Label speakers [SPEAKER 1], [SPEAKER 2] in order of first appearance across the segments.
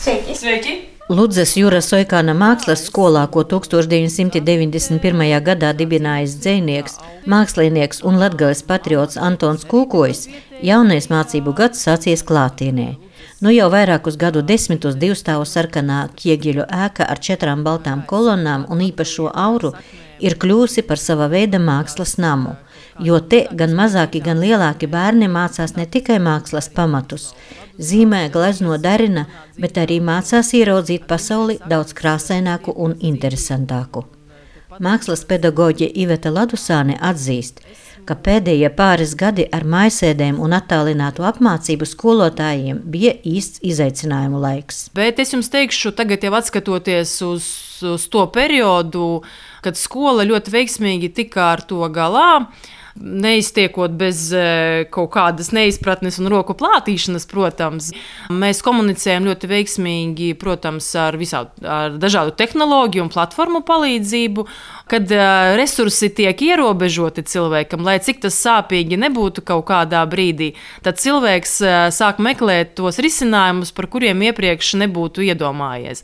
[SPEAKER 1] Sveiki!
[SPEAKER 2] Sveiki!
[SPEAKER 3] Ludzas Jura Soikāna mākslas skolā, ko 1991. gadā dibinājis dzejnieks, mākslinieks un Latgales patriots Antons Kūkojs, jaunais mācību gads sācies klātienē. Nu jau vairākus gadu desmitus divstāvu sarkanā Kiegeļu ēka ar 4 baltām kolonnām un īpašo auru ir kļūsi par sava veida mākslas namu, jo te gan mazāki, gan lielāki bērni mācās ne tikai mākslas pamatus, zīmē, glezno, darina, bet arī mācās ieraudzīt pasauli daudz krāsaināku un interesantāku. Mākslas pedagoģe Iveta Ladusāne atzīst, ka pēdējie pāris gadi ar mājasēdēm un attālinātu apmācību skolotājiem bija īsts izaicinājumu laiks.
[SPEAKER 2] Bet es jums teikšu, tagad jau atskatoties uz to periodu, kad skola ļoti veiksmīgi tika ar to galā, neiztiekot bez kaut kādas neizpratnes un roku plātīšanas, protams. Mēs komunicējam ļoti veiksmīgi, protams, ar dažādu tehnoloģiju un platformu palīdzību, kad resursi tiek ierobežoti cilvēkam, lai cik tas sāpīgi nebūtu kaut kādā brīdī, tad cilvēks sāk meklēt tos risinājumus, par kuriem iepriekš nebūtu iedomājies.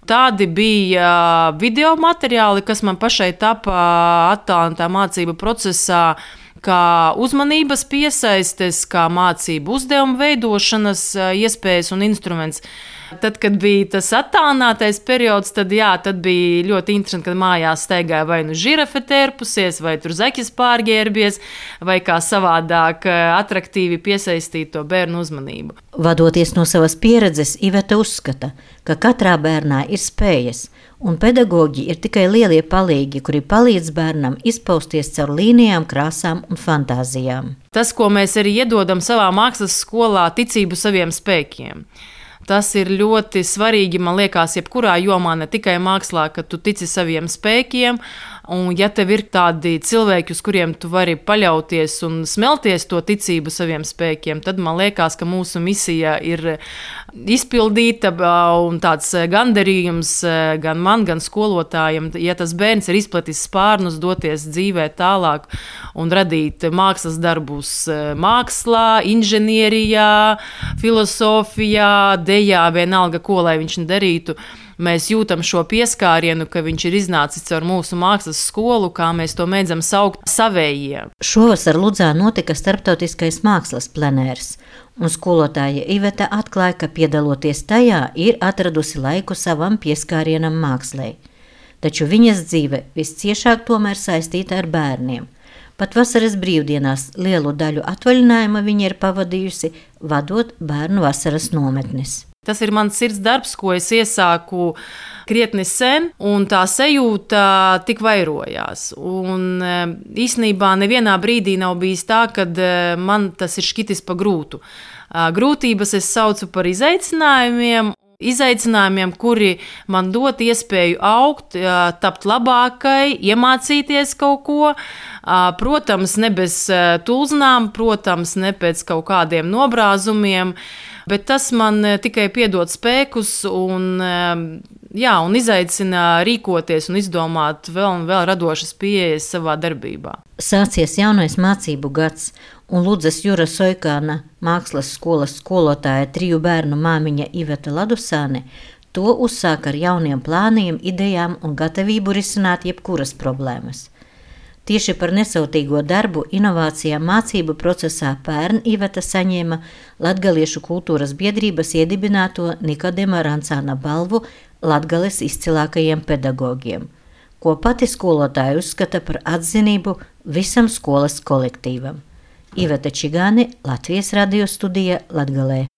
[SPEAKER 2] Tādi bija video materiāli, kas man pašai tapa attālinātā mācību procesā, kā uzmanības piesaistes, kā mācību uzdevumu veidošanas iespējas un instruments. Tad, kad bija tas attālinātais periods, tad bija ļoti interesanti, kad mājās staigāja vai nu žirafe tērpusies, vai tur zaķis pārģērbies, vai kā savādāk atraktīvi piesaistīt to bērnu uzmanību.
[SPEAKER 3] Vadoties no savas pieredzes, Iveta uzskata, ka katrā bērnā ir spējas, un pedagoģi ir tikai lielie palīgi, kuri palīdz bērnam izpausties caur līnijām, krāsām un fantāzijām.
[SPEAKER 2] Tas, ko mēs arī iedodam savā mākslas skolā, ticību saviem spēkiem. Tas ir ļoti svarīgi, man liekas, jebkurā jomā, ne tikai mākslā, ka tu tici saviem spēkiem, un ja tev ir tādi cilvēki, uz kuriem tu vari paļauties un smelties to ticību saviem spēkiem, tad man liekas, ka mūsu misija ir izpildīta un tāds gandarījums gan man, gan skolotājiem, ja tas bērns ir izplatis spārnus, doties dzīvē tālāk un radīt mākslas darbus mākslā, inženierijā, filosofijā, dejā, vienalga, ko lai viņš darītu. Mēs jūtam šo pieskārienu, ka viņš ir iznācis caur mūsu mākslas skolu, kā mēs to mēdzam saukt savējie.
[SPEAKER 3] Šovasar Ludzā notika starptautiskais mākslas plenērs, un skolotāja Iveta atklāja, ka piedaloties tajā ir atradusi laiku savam pieskārienam mākslai. Taču viņas dzīve visciešāk tomēr saistīta ar bērniem. Pat vasaras brīvdienās lielu daļu atvaļinājuma viņa ir pavadījusi, vadot bērnu vasaras nometnes.
[SPEAKER 2] Tas ir mans sirds darbs, ko es iesāku krietni sen, un tā sajūta tik vairojās. Un īstenībā nevienā brīdī nav bijis tā, kad man tas ir šķitis pa grūtu. Grūtības es saucu par izaicinājumiem, kuri man dot iespēju augt, tapt labākai, iemācīties kaut ko. Protams, ne bez tulznām, protams, ne pēc kaut kādiem nobrāzumiem, bet tas man tikai piedod spēkus un izaicina rīkoties un izdomāt vēl un vēl radošas pieejas savā darbībā.
[SPEAKER 3] Sācies jaunais mācību gads, un Ludzas Jura Soikāna mākslas skolas skolotāja 3 bērnu māmiņa Iveta Ladusāne to uzsāk ar jauniem plāniem, idejām un gatavību risināt jebkuras problēmas. Tieši par nesautīgo darbu inovācijām mācību procesā pērn Iveta saņēma Latgaliešu kultūras biedrības iedibināto Nikodema Rancāna balvu Latgales izcilākajiem pedagogiem, ko pati skolotāja uzskata par atzinību visam skolas kolektīvam. Iveta Čigāne, Latvijas radio studija Latgalē.